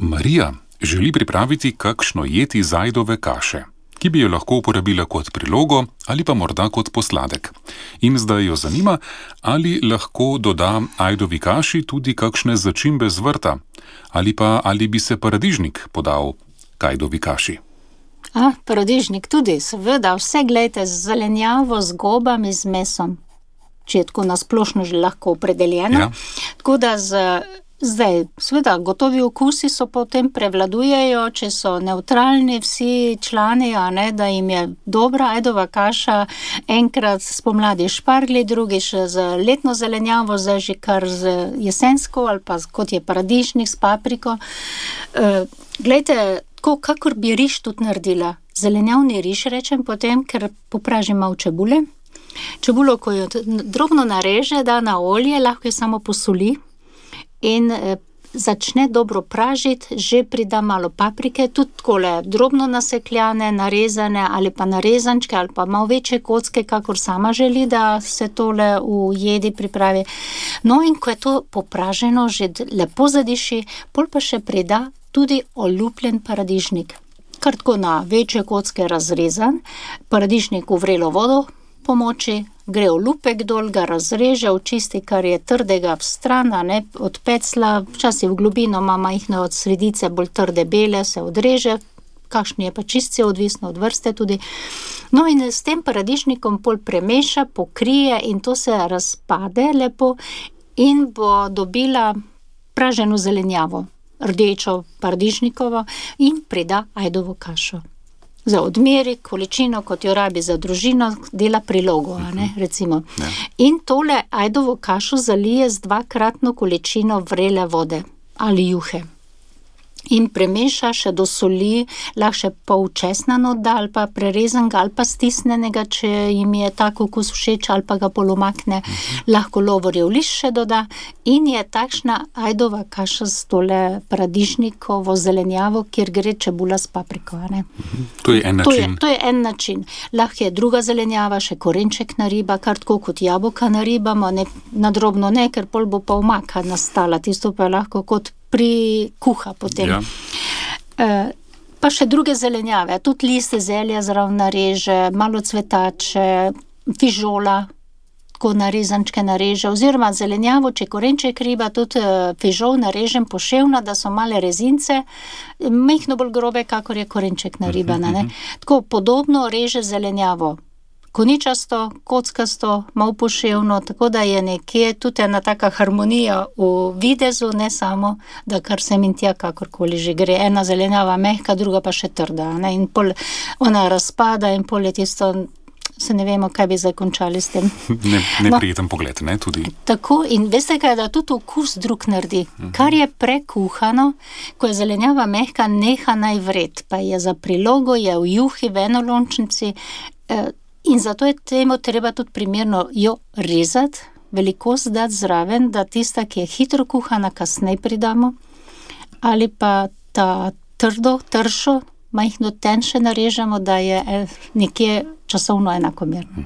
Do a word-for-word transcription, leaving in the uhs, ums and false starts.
Marija želi pripraviti kakšno jed iz ajdove kaše, ki bi jo lahko uporabila kot prilogo ali pa morda kot posladek. In zdaj jo zanima, ali lahko doda ajdovi kaši tudi kakšne začimbe z vrta, ali pa ali bi se paradižnik podal k ajdovi kaši. A, paradižnik tudi, seveda, vse glejte, z zelenjavo, z gobami, z mesom. Če je tako nasplošno že lahko opredeljeno. Ja. Tako da z, zdaj, seveda, gotovi okusi so potem prevladujejo, če so nevtralni vsi člani, a ne, da jim je dobra ajdova kaša, enkrat spomladi špargli, drugič z letno zelenjavo, zdaj že kar z jesensko, ali pa kot je paradižnik s papriko. E, glejte, tako, kakor bi riž tudi naredila. Zelenjavni riž rečem potem, ker popražim malo čebule. Čebulo, ko jo drobno nareže, da na olje, lahko jo samo posoli in eh, začne dobro pražiti, že prida malo paprike, tudi takole drobno nasekljane, narezane ali pa narezančke ali pa malo večje kocke, kakor sama želi, da se tole v jedi pripravi. No, in ko je to popraženo, že lepo zadiši, pol pa še prida tudi olupljen paradižnik. Kar tako na večje kocke razrezan, paradižnik v vrelo vodo pomoči, gre olupek dol, ga razreže, očisti, kar je trdega v stran, ne, od pecla, včasih v globino ima majhne od sredice, bolj trde bele, se odreže, kakšni je pa čistci, odvisno od vrste tudi. No, in s tem paradižnikom pol premeša, pokrije in to se razpade lepo in bo dobila praženo zelenjavo, rdečo paradižnikovo, in prida ajdovo kašo. Za odmeri, količino, kot jo rabi za družino, dela prilogo, a ne, recimo. Ja. In tole ajdovo kašo zalije z dvakratno količino vrele vode ali juhe. In premeša še do soli, lahko še pol česna noda ali pa prerezanega ali pa stisnenega, če jim je tak okus všeč, ali pa ga polomakne. Uh-huh. Lahko lovorjev list še doda in je takšna ajdova kaša s tole paradižnikovo zelenjavo, kjer gre čebula s papriko, a ne. Uh-huh. To je en To je, način. to je en način. Lahko je druga zelenjava, še korenček nariba, kar tako kot jabolka naribamo, ne, na drobno ne, ker pol bo pa omaka nastala, tisto pa je lahko kot pri kuha potem. Ja. E, pa še druge zelenjave, tudi liste zelja zraven nareže, malo cvetače, fižola, tako narezančke nareže, oziroma zelenjavo, če korenček riba, tudi fižol narežem poševno, da so male rezince, majhno bolj grobe, kakor je korenček naribana, ne. Tako podobno reže zelenjavo. Koničasto, kockasto, malo poševno, tako da je nekje tudi ena taka harmonija v videzu, ne samo, da kar sem in tja, kakorkoli že gre. Ena zelenjava mehka, druga pa še trda, ne, in pol ona razpada in pol je tisto, se ne vemo, kaj bi zdaj končali s tem. Ne, neprijeten no, pogled, ne, tudi. Tako, in veste kaj, da tudi okus drug naredi. Uh-huh. Kar je prekuhano, ko je zelenjava mehka, neha naj vred, pa je za prilogo, je v juhi, v enolončnici, eh, in zato je temu treba tudi primerno jo rezati, velikost dati zraven, da tista, ki je hitro kuhana, kasneje pridamo, ali pa ta trdo, tršo, majhno tenše narežemo, da je nekje časovno enakomerno.